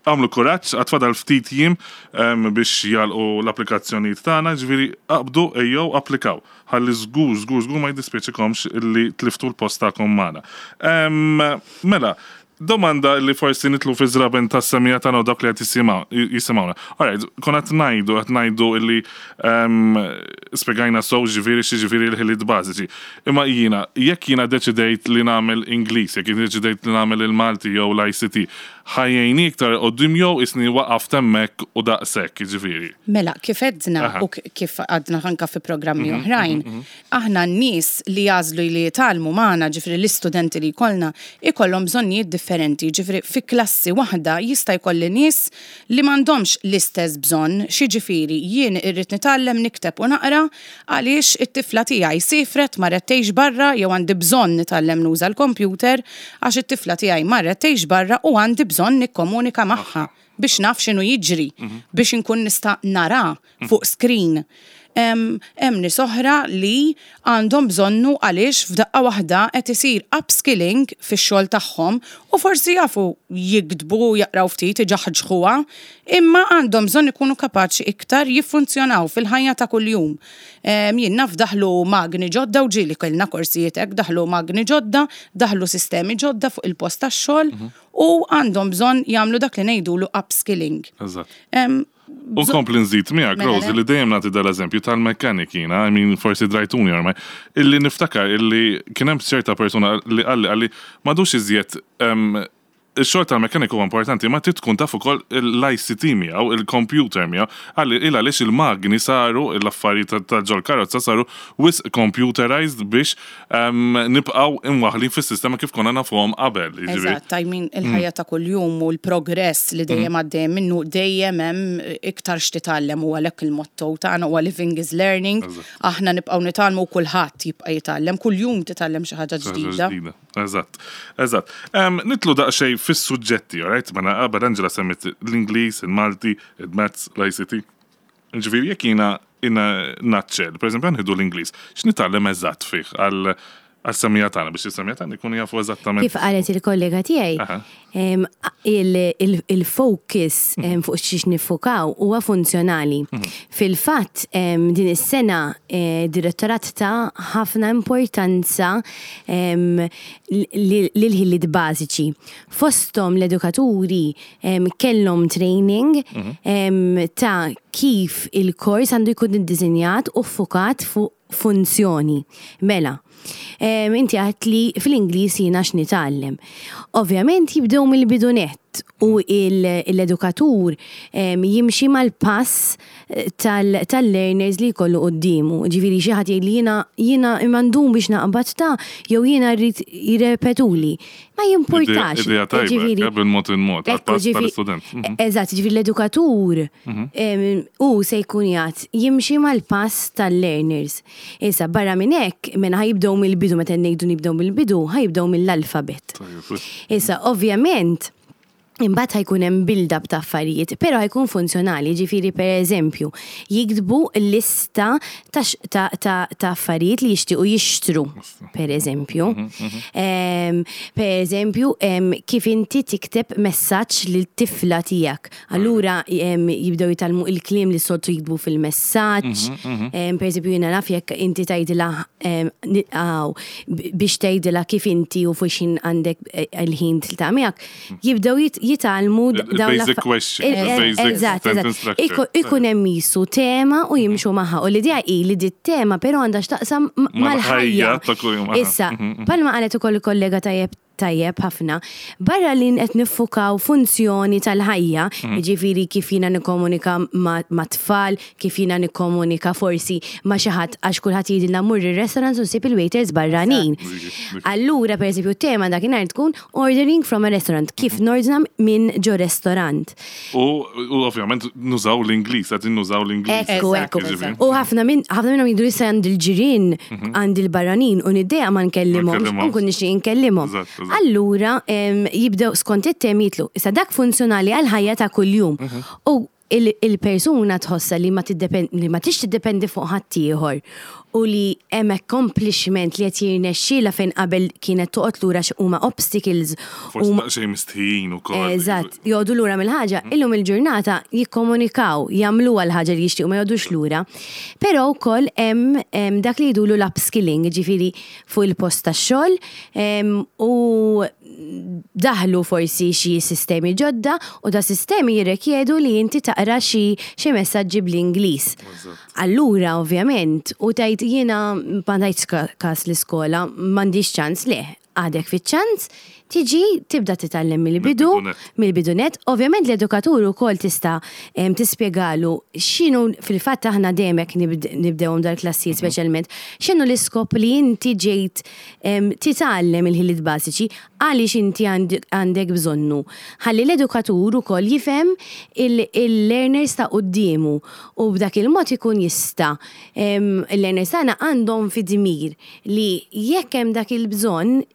għamlu kuraġġ, għad fadal ftit jiem biex jagħlqu l-applikazzjonijiet tagħna, ġifieri aqbdu ejjew applikaw. Ħalli żgur, żgur, żgur ma jiddispjaċikomx li tliftu l-post tagħkom magħna. Mela, Domanda li forsi nidħlu fiż-żraben tas-semmiegħa tagħna u dawk li qed jisimgħuna. Alright, konna qed ngħidu, qed ngħidu illi ehm, spjegajna sew ġifieri x'jiġifieri l-ħiliet bażiċi. Imma jiena, jekk jiena deċidejt li nagħmel Ingliż, jekk jien deċidejt li nagħmel il-Malti jew l-ICT, ħa jgħinni iktar 'il quddiem jew isni waqaft hemmhekk u daqshekk, jiġifieri? Mela, kif għedna u kif għadna anke fi programmi oħrajn, Aħna n-nies li jagħżlu li jitgħallmu magħna, ġifieri l-istudenti li jkollna, ikollhom bżonnijiet differenti, ġifieri fi klassi waħda jista' jkolli nies li m'għandhomx l-istess bżonn, x'jiġifieri jien irrid nitgħallem nikteb u naqra għaliex it-tifla tiegħi siefret marret tgħix barra jew għandi bżonn nitgħallem nuża l-kompjuter għax it-tifla tiegħi marret tgħix barra u għandi bżonn nikkomunika magħha biex naf x'inhu jiġri, biex inkun nista' nara fuq screen. Hemm nies oħra li għandhom bżonnu għaliex f'daqqa waħda qed isir upskilling fix-xogħol tagħhom u forsi jafu jiktbu, jaqraw ftit, iġaħġħuha, imma għandhom bżonn ikunu kapaċi iktar jiffunzjonaw fil-ħajja ta' kuljum. Jien naf daħlu magni ġodda u ġieli kellna korsijiet hekk, daħlu magni ġodda, daħlu sistemi ġodda fuq il-post tax-xogħol u għandhom bżonn jagħmlu dak li ngħidulu upskilling. Eżatt. U nkompli nżid miegħek, mela Rose, li dejjem nagħti dal-eżempju tal-mechanic jiena, I mean forsi drajtuni ormai, illi niftakar illi kien hemm ċerta persuna li qalli qalli m'għadux iżjed. Ix-xogħol tal-mekkaniku huwa importanti, ma trid tkun taf ukoll l-ICT miegħu, il-computer miegħu, il għaliex il-magni saru, l-affarijiet ta' ġol karozza saru wisq computerized biex nibqgħu imwaħħlin fis-sistema kif konna nafuhom qabel. Jiġifieri. Eżatt, I mean, il-ħajja ta' kuljum u l-progress li dejjem għaddej minnu dejjem hemm iktar x'titgħallem u għalhekk il-motto tagħna huwa living is learning. Aħna nibqgħu nitgħallmu u kulħadd jibqa' jitgħallem, kuljum titgħallem xi ħaġa ġdida. Eżatt, eżatt. Nidħlu daqsxejn fis-suġġetti, all right? Mela qabel Angela semmiet l-Ingliż, il-Malti, il-Maths, l-ICT. Ġifieri jekk jiena naċċel, pereżempju ħa nieħdu l-Ingliż, x'nitgħallem eżatt fih għal għas-semmiegħa tagħna biex is-semmiegħa tagħna jkunu jafu eżattament. Kif qalet il-kollega tiegħi, il-focus fuq xiex niffukaw huwa funzjonali. Fil-fatt, din is-sena direttorat ta' ħafna importanza lil-ħiliet bażiċi. Fosthom l-edukaturi kellhom training ta' kif il-kors għandu jkun iddisinjat u ffukat fuq funzjoni. Mela, inti għedt li fl-Ingliż jiena x'nitgħallem. Ovvjament jibdew mill-bidu nett u l-edukatur jimxi mal-pass tal-learners li jkollu quddiemu. Ġifieri xi ħadd jgħidli jiena jiena imma ndum biex naqbad ta' jew jiena rrid jirrepetuli. Ma jimpurtax. Idea tajba, bil-mod il-mod, għall-pass tal-istudent. Eżatt, ġifieri l-edukatur hu se jkun jgħid jimxi mal-pass tal-learners. Issa, barra minn hekk, mela ħa jibdew mill-bidu, meta ngħidu nibdew mill-bidu, ħa jibdew mill-alfabet. Issa, ovvjament, imbagħad ħa jkun hemm build-up ta' affarijiet, però ħa jkun funzjonali, ġifieri pereżempju, jiktbu lista ta' ta' ta' ta' affarijiet li jixtiequ jixtru, pereżempju. Pereżempju, kif inti tikteb messaġġ lil tifla tiegħek. Allura jibdew jitgħallmu il-kliem li soltu jiktbu fil-messaġġ. Pereżempju, jiena naf jekk inti tgħidilha biex tgħidilha kif inti u fuq x'ħin għandek il-ħin tiltaqa' miegħek, jibdew jitgħallmu dawn Basic question, basic sentence structure. Ikun hemm jisu tema u jimxu magħha. U l-idea hi li dit tema però għandha x'taqsam mal-ħajja. ta' kuljum. Issa, bħalma qalet ukoll il-kollega tajjeb tajjeb ħafna, barra li qed niffukaw funzjoni tal-ħajja, jiġifieri kif jiena nikkomunika ma' tfal, kif jiena nikkomunika forsi ma' xi ħadd għax kulħadd jgħidilna mur ir-restaurant u ssib il-waiters barranin. Allura, pereżempju, tema dakinhar tkun ordering from a restaurant, kif nordna minn ġo restaurant. U ovvjament nużaw l-Ingliż, qed nużaw l-Ingliż. Ekku, ekku. U ħafna minn ħafna minnhom jgħidu issa għand il-ġirien, għand il-barranin u niddejjaq ma nkellimhomx, u nkun nixtieq inkellimhom. Allura jibdew skont it-temi jitlu. Issa dak funzjonali għall-ħajja ta' kuljum. U il-persuna tħossha li ma li ma tix tiddependi fuq ħaddieħor u li hemm accomplishment li qed jirnexxielha fejn qabel kienet toqgħod lura huma obstacles. Forsi daqsxejn mistħijin ukoll. Eżatt, joqogħdu lura mill-ħaġa, illum il-ġurnata jikkomunikaw, jagħmluha l-ħaġa li jixtiequ ma joqogħdux lura. Però wkoll hemm dak li jgħidulu l-upskilling, jiġifieri fuq il-post tax-xogħol u daħlu forsi xi sistemi ġodda u da sistemi jirrikjedu li inti taqra xi xi messaġġi bl-Ingliż. Allura ovvjament u tgħid jiena ma tajtx każ l-iskola, m'għandix ċans le, għadek fiċ-ċans tiġi tibda titgħallem mill-bidu, mill-bidu nett. Ovvjament l-edukatur ukoll tista' tispjegalu x'inhu fil-fatt aħna dejjem hekk nibdewhom dal-klassijiet speċjalment, x'inhu l-iskop li inti ġejt titgħallem il-ħiliet bażiċi, għaliex inti għandek bżonnu. Ħalli l-edukatur ukoll jifhem il-learners ta' quddiemu u b'dak il-mod ikun jista' il-learners tagħna għandhom fi dmir li jekk hemm dak il-bżonn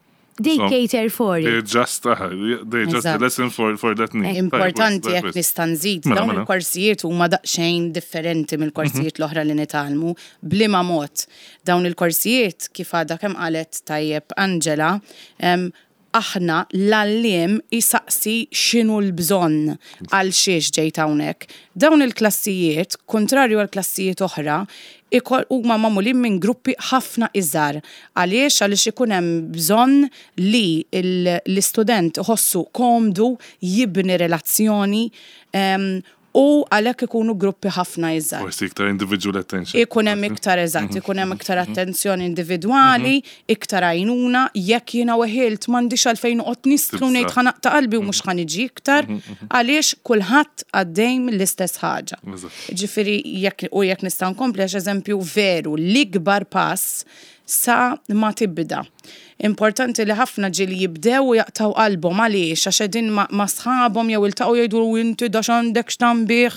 they cater for it. They adjust, they adjust the lesson for that need. Importanti jekk nista' nżid, dawn il-korsijiet huma daqsxejn differenti mill-korsijiet l-oħra li nitgħallmu b'liema mod. Dawn il-korsijiet kif għadha kemm qalet tajjeb Angela, aħna l-għalliem isaqsi x'inhu l-bżonn għal xiex ġejt hawnhekk. Dawn il-klassijiet, kontrarju għal klassijiet oħra, huma magħmulin minn gruppi ħafna iżgħar. Għaliex? Għaliex ikun hemm bżonn li l-istudent iħossu komdu jibni relazzjoni. U għalhekk ikunu gruppi ħafna iżgħar. Forsi iktar individual attention. Ikun hemm iktar eżatt, ikun hemm iktar attenzjoni individwali, iktar għajnuna, jekk jiena weħilt m'għandix għalfejn noqgħod nistħu ngħid ħa naqta' qalbi u mhux ħa niġi iktar, għaliex kulħadd għaddej mill-istess ħaġa. Ġifieri jekk u jekk nista' nkompli għax eżempju veru l-ikbar pass sa ma tibda. Importanti li ħafna ġieli jibdew u jaqtgħu qalbhom għaliex għax qegħdin ma' sħabhom jew iltaqgħu jgħidu inti da x'għandek x'tambih.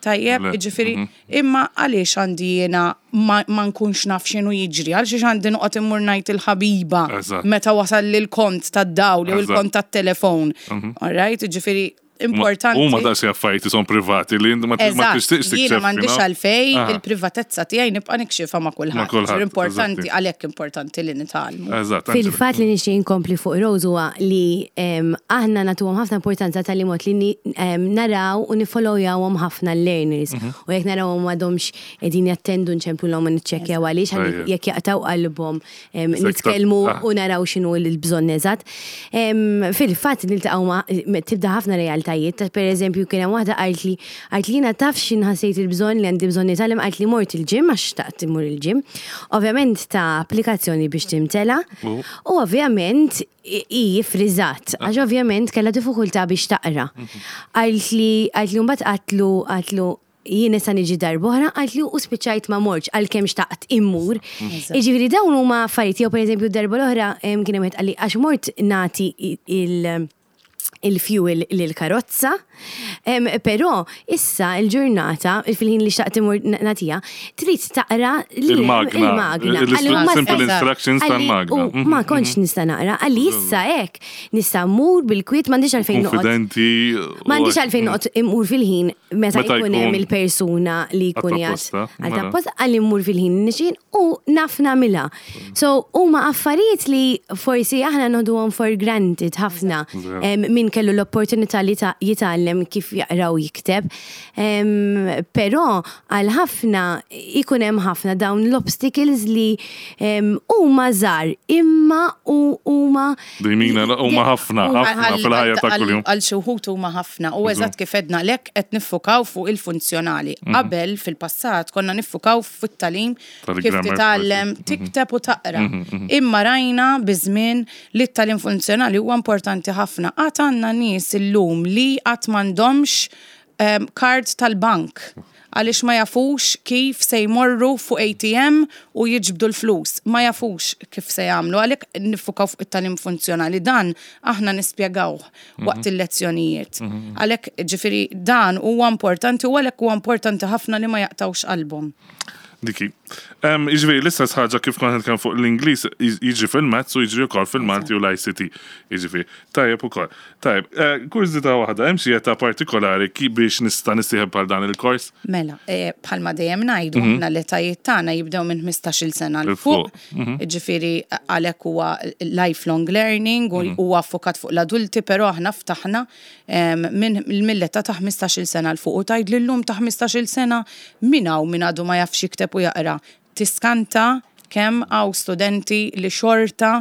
Tajjeb, jiġifieri, imma għaliex għandi jiena ma nkunx naf x'inhu jiġri, għalxiex għandi noqgħod immur ngħid il-ħabiba meta wasalli l-kont tad-dawl jew il-kont tat-telefon. All right, jiġifieri importanti. Huma daqs affarijiet son privati li ma tixtieqx tikxef. Jiena m'għandix għalfej il-privatezza tiegħi nibqa' nikxifha ma' kulħadd. Importanti għalhekk importanti li nitgħallmu. Eżatt. Fil-fatt li nixtieq inkompli fuq Rose huwa li aħna nagħtuhom ħafna importanza tal mod li naraw u nifollowjawhom ħafna l-learners. U jekk narawhom m'għadhomx qegħdin jattendu nċemplulhom u niċċekkjaw għaliex jekk jaqtgħu qalbhom nitkellmu ah. u naraw x'inhu l-bżonn eżatt. Fil-fatt niltaqgħu ma' tibda ħafna realtajiet, ta' pereżempju kien hemm waħda qalt li qalt li jiena taf x'in ħassejt il-bżonn li għandi bżonn nitgħallem qalt li mort il-gym għax xtaqt immur il-gym. Ovvjament ta' applikazzjoni biex timtela u ovvjament hi friżat għax ovvjament kellha diffikultà biex taqra. Qalt li qalt li mbagħad qatlu qatlu jien issa niġi darb'oħra, qaltli u spiċċajt ma mortx għalkemm xtaqt immur. Jiġifieri dawn huma affarijiet jew pereżempju d-darba l-oħra kien hemm wieħed qalli għax mort nagħti il- il-fuel lill-karozza, però issa l-ġurnata, fil-ħin li xtaqt immur nagħtiha, trid taqra il-magna. Il-simple instructions tal-magna. Ma kontx nista' naqra, qalli issa hekk nista' mmur bil-kwiet m'għandix għalfejn noqgħod. Konfidenti. M'għandix għalfejn noqgħod immur fil-ħin meta jkun hemm il-persuna li jkun jgħat għal tapposta għal immur fil-ħin nixin u naf nagħmilha. So huma affarijiet li forsi aħna noħduhom for granted ħafna min kellu l-opportunità li jitgħallem kif jaqra u jikteb. Però għal ħafna ikun hemm ħafna dawn l-obstacles li huma żgħar imma huma Dejmina, huma ħafna, ħafna fil-ħajja ta' kuljum. Għal xi wħud huma ħafna u eżatt kif għedna lek qed niffukaw fuq il-funzjonali. Qabel fil-passat konna niffukaw fit-tagħlim kif titgħallem tikteb u taqra. Imma rajna biż-żmien li t-tagħlim funzjonali huwa importanti ħafna. Għad għandna nies illum li qatt m'għandhomx kard tal-bank għaliex ma jafux kif se jmorru fuq ATM u jiġbdu l-flus, ma jafux kif se jagħmlu, għalhekk niffukaw fuq it-tagħlim funzjonali. Dan aħna nispjegawh waqt il-lezzjonijiet. Għalhekk ġifieri dan huwa importanti u għalhekk huwa importanti ħafna li ma jaqtgħux qalbhom. Diki. Jiġifieri l-istess ħaġa kif kont nitkellem fuq l-Ingliż jiġri fil-Maths u jiġri wkoll fil-Malti u l-ICT. Jiġifieri, tajjeb ukoll. Tajjeb, kurżità waħda, hemm xi età partikolari biex nista' nissieħeb għal dan il-kors? Mela, bħalma dejjem ngħidu, aħna l-etajiet tagħna jibdew minn 15-il sena 'l fuq. Jiġifieri għalhekk huwa lifelong learning u huwa ffokat fuq l-adulti, però aħna ftaħna minn mill-età ta' 15-il sena 'l fuq u tgħidli llum ta' 15-il sena min hawn min għadu ma jafx jikteb u jaqra? Tiskanta kemm hawn studenti li xorta,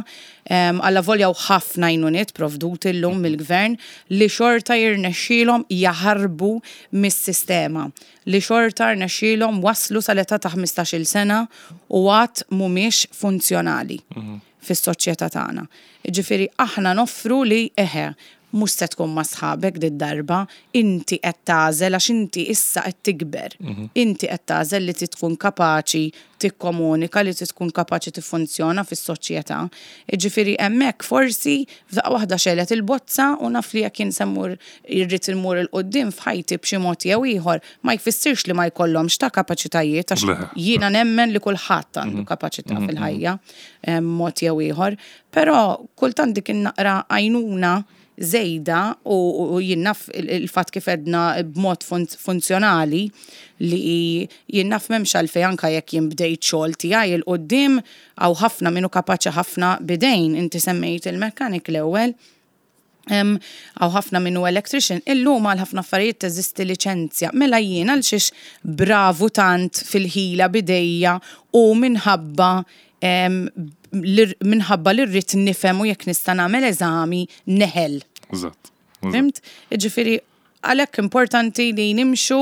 allavolja hawn ħafna għajnuniet provduti llum mill-Gvern, li xorta jirnexxielhom jaħarbu mis-sistema, li xorta rnexxielhom waslu sal-età ta' 15-il sena u għad mhumiex funzjonali fis-soċjetà tagħna. Jiġifieri aħna noffru li eħe, Mhux se tkun ma' sħabek did-darba, inti qed tagħżel għax inti issa qed tikber. Inti qed tagħżel li trid tkun kapaċi tikkomunika, li trid tkun kapaċi tiffunzjona fis-soċjetà. Jiġifieri hemmhekk forsi f'daqqa waħda xegħlet il-bozza u naf li jekk jien se mmur irrid immur 'il quddiem f'ħajti b'xi mod jew ieħor, ma jfissirx li ma jkollhomx ta' kapaċitajiet għax jiena nemmen li kulħadd għandu kapaċità fil-ħajja mod jew ieħor. Però kultant dik in-naqra għajnuna żejda u jien naf il-fatt kif għedna b'mod funzjonali li jien naf m'hemmx għalfejn anke jekk jien bdejt xogħol tiegħi 'l quddiem hawn ħafna min hu kapaċi ħafna b'idejn. Inti semmejt il-mechanic l-ewwel. Hawn ħafna min hu electrician. Illum għal ħafna affarijiet teżisti liċenzja. Mela jien għal xiex bravu tant fil-ħila b'idejja u minħabba minħabba li rrid nifhem u jekk nista' nagħmel eżami neħel. Eżatt. Fhimt? Jiġifieri. Għalhekk importanti li nimxu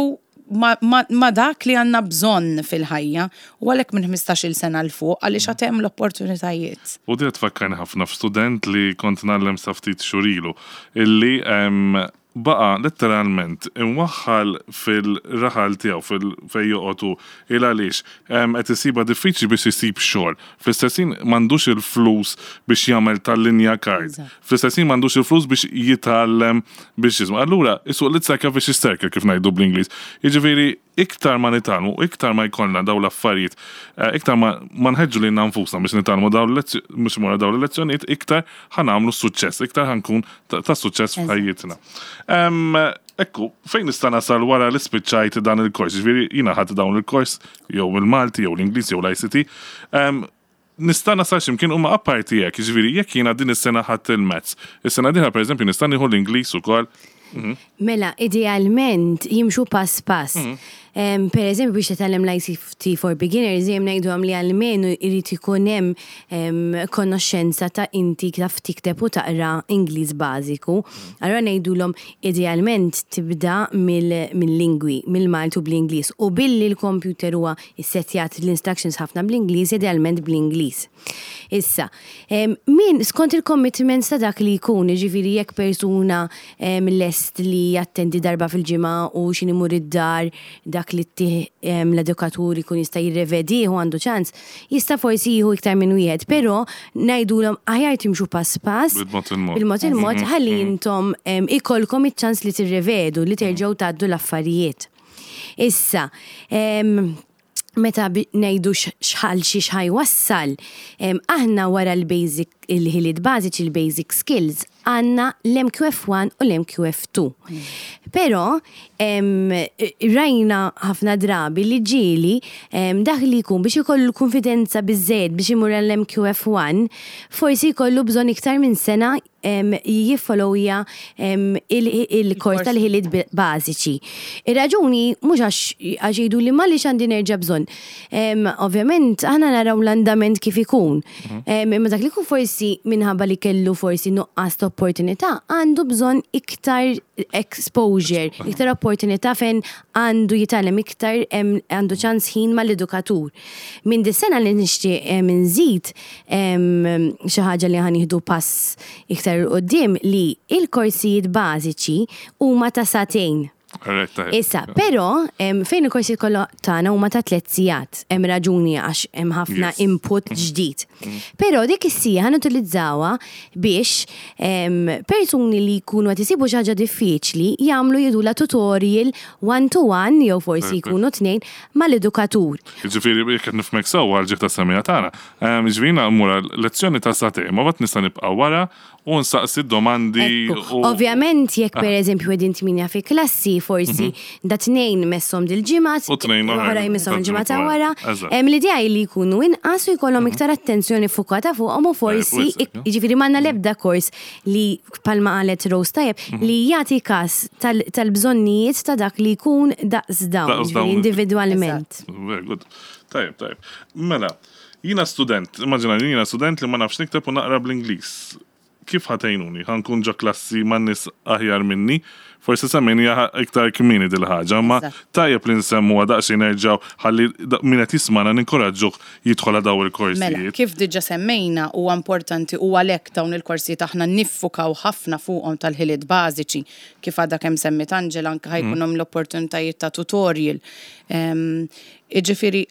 ma, ma, ma dak li għandna bżonn fil-ħajja u għalhekk minn 15-il sena 'l fuq għaliex għad hemm l-opportunitajiet. U di tfakkarni ħafna f'student li kont ngħallem sa ftit xhur ilu, illi baqa' letteralment imwaħħal fil-raħal tiegħu fil fejn joqgħod hu il għaliex qed isibha diffiċli biex isib xogħol. Fl-istess ħin m'għandux il-flus biex jagħmel tal-linja card. Fl-istess ħin m'għandux il-flus biex jitgħallem biex jisma'. Allura isuq it's like a vicious circle kif ngħidu bl-Ingliż. Jiġifieri iktar ma nitgħallmu, iktar ma jkollna dawn l-affarijiet, iktar ma ma nħeġġu lilna nfusna biex nitgħallmu dawn biex imorru dawn il-lezzjonijiet, iktar ħa nagħmlu suċċess, iktar ħa nkun ta' suċċess f'ħajjitna. Ekku, fejn nista' nasal wara li spiċċajt dan il-kors? Ġifieri jiena ħadt dawn il-kors jew il-Malti jew l-Ingliż jew l-ICT. Nista' nasal x'imkien huma apparti hekk, jiġifieri jekk jiena din is-sena ħadt il-Maths, is-sena dieħla pereżempju nista' nieħu l-Ingliż ukoll? Mela, idealment jimxu pass pass. Per eżempju biex titgħallem l-ICT for Beginners dejjem ngħidulhom li almenu jrid ikun hemm konoxxenza ta' inti taf tikteb u taqra Ingliż bażiku. Allura ngħidulhom idealment tibda mill-lingwi, mill-Malti u bl-Ingliż u billi l-computer huwa Issettjat l-instructions ħafna bl-Ingliż, idealment bl-Ingliż. Issa, min skont il-commitments ta' dak li jkun, jiġifieri jekk persuna lest li jattendi darba fil-ġimgħa u x'inhi imur id-dar dak li ttih l-edukatur ikun jista' jirrevedih u għandu ċans, jista' forsi jieħu iktar minn wieħed, però ngħidulhom aħjar timxu pass pass, Bil-mod il-mod. bil-mod il-mod ħalli intom ikollkom iċ-ċans li tirrevedu, li terġgħu tgħaddu l-affarijiet. Issa, meta ngħidu x'ħal xi x'ħa jwassal, aħna wara l-basic il-ħiliet bażiċi, il-basic skills, għandna l-MQF1 u l-MQF2. Però rajna ħafna drabi li ġieli dak li jkun biex ikollu l-kunfidenza biżżejjed biex imur għall-MQF1, forsi jkollu bżonn iktar minn sena jiffollowja il-kors tal-ħiliet bażiċi. Ir-raġuni mhux għax għax jgħidu li m'għaliex għandi nerġa' bżonn. Ovvjament aħna naraw l-andament kif ikun. Imma dak li jkun forsi minħabba li kellu forsi nuqqas ta' opportunità għandu bżonn iktar exposure, iktar opportunità fejn għandu jitgħallem iktar għandu ċans ħin mal-edukatur. Minn dis-sena li nixtieq nżid xi ħaġa li ħa nieħdu pass iktar 'il quddiem li il-korsijiet bażiċi huma ta' sagħtejn. Issa, però fejn il-korsijiet kollha tagħna huma ta' tliet sigħat, hemm raġuni għax hemm ħafna input ġdid. Però dik is-siegħa ħa nutilizzawha biex persuni li jkunu qed isibu xi ħaġa diffiċli jagħmlu jidula tutorial one to one jew forsi jkunu tnejn mal-edukatur. Jiġifieri jekk qed nifhmek sewwa għall-ġieħ tas-semmiegħa tagħna, jiġifieri jiena mmur għal lezzjoni ta' sagħtejn, ma mbagħad nista' nibqa' wara u nsaqsi d-domandi u. Ovvjament jekk pereżempju qegħdin tmienja fi klassi, forsi da tnejn messhom dil-ġimgħa, U tnejn oħra jmisshom il-ġimgħa ta' wara. L-idea hi li jkunu inqas u jkollhom iktar attenzjoni ffukata fuqhom u forsi, jiġifieri m'għandna l-ebda kors li bħalma qalet Rose tajjeb, li jagħti każ tal-bżonnijiet ta' dak li jkun daqs dawn, jiġifieri individwalment. Very good. Tajjeb, tajjeb. Mela, jiena student, immaġina li jiena student li ma nafx nikteb u naqra bl-Ingliż. Kif ħa tgħinuni? Ħa nkun ġo klassi ma' nies aħjar minni? Forsi semmejniha iktar kmieni dil-ħaġa, imma tajjeb li nsemmuha daqsxejn nerġgħu ħalli min qed jismagħna ninkoraġġuh jidħol għal dawn il-korsijiet. Mela, kif diġà semmejna huwa importanti u għalhekk dawn il-korsijiet aħna niffukaw ħafna fuqhom tal-ħiliet bażiċi, kif għadha kemm semmiet Angela anke ħa jkun hemm l-opportunitajiet ta' tutorial. Jiġifieri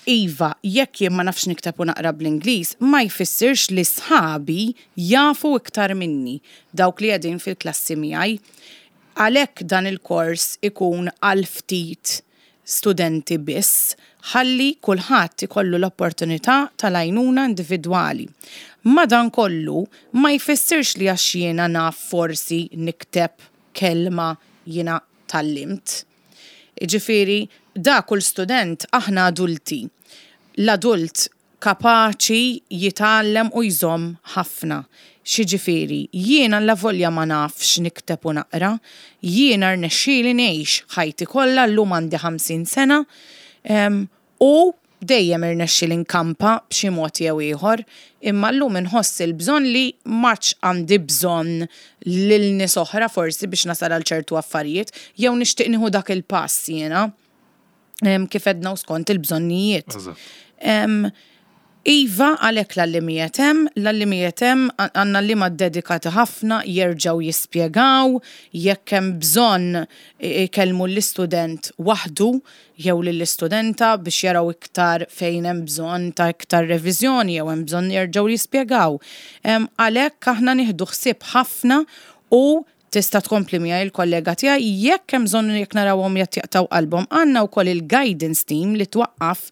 iva, jekk jien ma nafx nikteb u naqra bl-Ingliż, ma jfissirx li sħabi jafu iktar minni, dawk li qegħdin fil-klassi miegħi. Għalhekk dan il-kors ikun għal ftit studenti biss ħalli kulħadd ikollu l-opportunità tal-għajnuna individwali. Madankollu, ma jfissirx li għax jiena naf forsi nikteb kelma jiena tgħallimt. Jiġifieri, da kull student aħna adulti. L-adult kapaċi jitgħallem u jżomm ħafna. X'jiġifieri, jien allavolja ma nafx nikteb u naqra, jiena rnexxieli ngħix ħajti kollha, llum għandi 50 sena, u. Dejjem irnexxieli nkampa b'xi mod jew ieħor, imma llum inħoss il-bżonn li m'għadx għandi bżonn lil nies oħra forsi biex nasal għal ċertu affarijiet, jew nixtieq nieħu dak il-pass jiena, kif għedna u skont il-bżonnijiet. Iva, għalhekk l-għallimijiet hemm, l-għallimijiet hemm, għandna għalliema ddedikati ħafna, jerġgħu jispjegaw, jekk hemm bżonn ikellmu l-istudent waħdu jew lill-istudenta biex jaraw iktar fejn hemm bżonn ta' iktar reviżjoni jew hemm bżonn jerġgħu jispjegaw. Għalhekk aħna nieħdu ħsieb ħafna u Tista' tkompli miegħi l-kollega tiegħi jekk hemm bżonn u jekk narawhom qed jaqtgħu qalbhom. Għandna wkoll il-guidance team li twaqqaf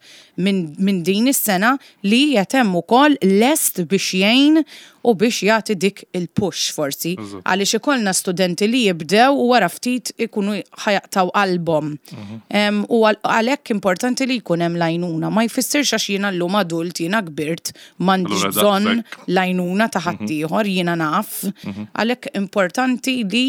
minn min din is-sena li qiegħed hemm ukoll lest biex jgħin u biex jagħti dik il-push forsi. Għaliex ikollna studenti li jibdew u wara ftit ikunu ħa jaqtgħu qalbhom. U għalhekk importanti li jkun hemm l-għajnuna. Ma jfissirx għax jiena llum adult, jiena kbirt, M'għandix bżonn l-għajnuna ta' mhm. ħaddieħor, jiena naf. Mhm. Għalhekk importanti li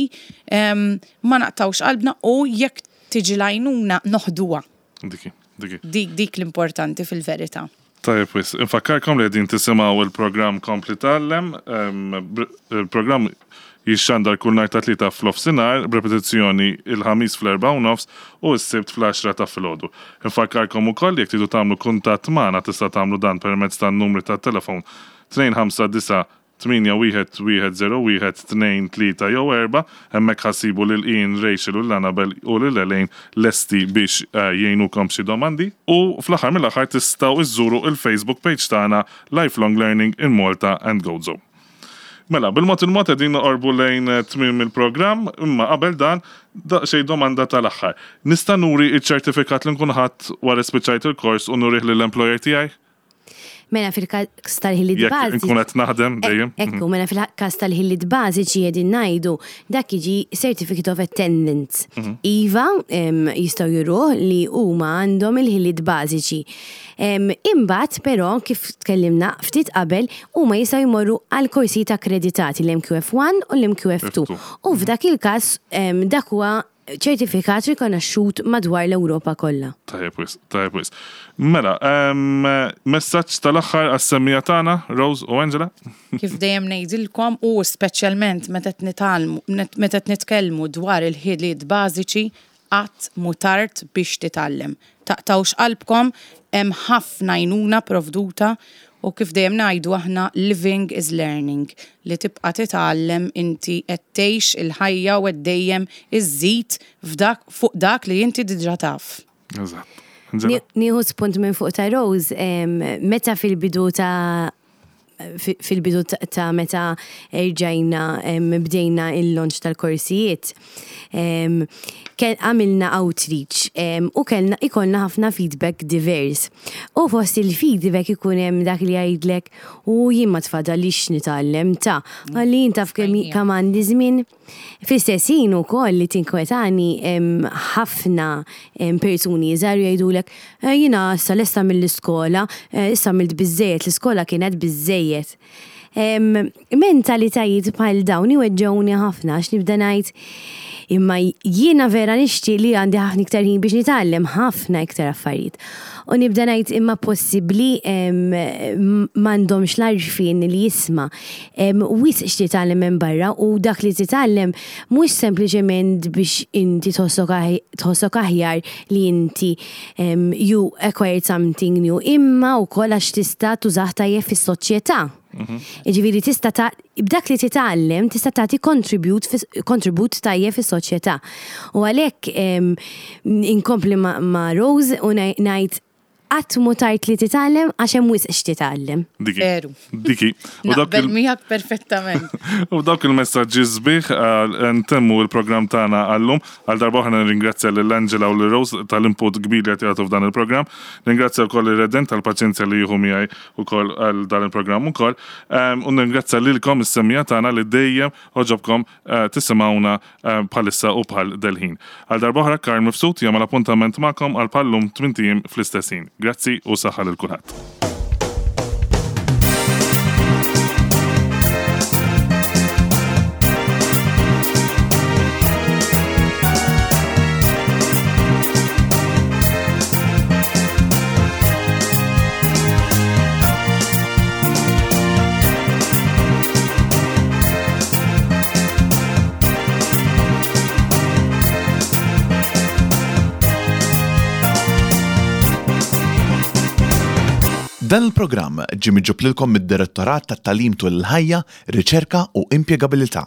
ma naqtawx qalbna u jekk tiġi l-għajnuna noħduha. Diki, diki. Dik dik l-importanti fil-verità. Tajjeb wis, infakkarkom li qegħdin tisimgħu il-programm Kompli Tgħallem, il-programm Jixxandar kull nhar ta' Tlieta f'nofsinhar, b'repetizzjoni il-Ħamis fl-10:30 u s-Sibt fl-għaxra ta' filgħodu. Infakkarkom ukoll li jekk tridu tagħmlu kuntatt magħna tista' tagħmlu dan permezz tan-numri tat-telefon 259 81 101 2, 3 jew 4. Hemmhekk ħa ssibu lil Ian, Rachel u lil Annabel u lil Elaine lesti biex jgħinukom b'xi domandi. U fl-aħħar mill-aħħar tistgħu iżżuru il-Facebook page tagħna Lifelong Learning in Malta and Gozo. Mela, bil-mod il-mod qegħdin noqorbu lejn tmiem il-programm, imma qabel dan, daqsxejn domanda tal-aħħar. Nista' nuri ċ-ċertifikat li nkun ħadt wara li spiċċajt il-kors u nurih lill-employer tiegħi? Mela fil-każ tal-ħiliet bażiċi. Jekk inkun qed naħdem dejjem. Ekku, mela fil-każ tal-ħiliet bażiċi qegħdin ngħidu dak jiġi certificate of attendance. Iva, jistgħu juruh li huma għandhom il-ħiliet bażiċi. Imbagħad però kif tkellimna ftit qabel huma jistgħu jmorru għal korsijiet akkreditati l-MQF1 u l-MQF2. U f'dak il-każ dak huwa ċertifikat rikonoxxut madwar l-Ewropa kollha. Tajjeb wisq, tajjeb wisq. Mela, messaġġ tal-aħħar għas-semmiegħa tagħna, Rose u Angela? Kif dejjem ngħidilkom u speċjalment meta qed nitgħallmu, meta qed nitkellmu dwar il-ħiliet bażiċi, Qatt mhu tard biex titgħallem. Taqtgħux qalbkom, hemm ħafna għajnuna provduta u kif dejjem ngħidu aħna living is learning, li tibqa' titgħallem inti qed tgħix il-ħajja u qed dejjem iżżid f'dak fuq dak li inti diġà taf. Eżatt. Nieħu spunt minn fuq ta' Rose, meta fil-bidu ta' fil-bidu ta' meta rġajna bdejna il-launch tal-korsijiet, għamilna outreach u kellna ikollna ħafna feedback divers. U fost il-feedback ikun hemm dak li jgħidlek u jien ma tfadalix nitgħallem ta' għalli jien taf kemm għandi żmien. Fl-istess ħin ukoll li tinkwetani ħafna persuni żgħar jgħidulek eh, jiena issa lesta mill-iskola, eh, issa għamilt biżżejjed, l-iskola kienet biżżejjed. Mentalitajiet bħal dawn iweġġgħuni ħafna għax nibda ngħid imma jiena vera nixtieq li għandi ħafna iktar ħin biex nitgħallem ħafna iktar affarijiet. U nibda ngħid imma possibbli m'għandhomx l-għarfien li jisma' Wisq x'titgħallem minn barra u dak li titgħallem mhux sempliċement biex inti tħossok aħjar li inti you acquired something new imma wkoll għax tista' tużah tajjeb fis-soċjetà. Mhm. Jiġifieri tista' b'dak li titgħallem tista' tagħti kontribut tajjeb fis-soċjetà. U għalhekk inkompli ma' Rose u ngħid Qatt mhu tard li titgħallem għax hemm wisq x'titgħallem. Diki. Veru. Diki. U dawk Naqbel miegħek perfettament. U dawk il-messaġġi sbieħ eh, ntemmu il-programm tagħna għallum. Għal darba oħra nirringrazzja lil Angela u lil Rose tal-input kbir li qed jagħtu f'dan il-programm. Ringrazzja wkoll ir-Redent tal-paċenzja li jieħu miegħi wkoll għal dan il-programm ukoll. Ehm, u nirringrazzja lilkom is-semmiegħa tagħna li dejjem għoġobkom eh, tisimgħuna bħalissa u bħal del-ħin. Għal darb'oħra Karl Mifsud jagħmel appuntament magħkom għal bħal-lum tmint ijiem fl-istess ħin. Grazzi u saħħa lil kulħadd. Dan il-programm ġie miġjub lilkom mid-Direttorat tat-Tagħlim Tul il-Ħajja, Riċerka u Impjegabilità.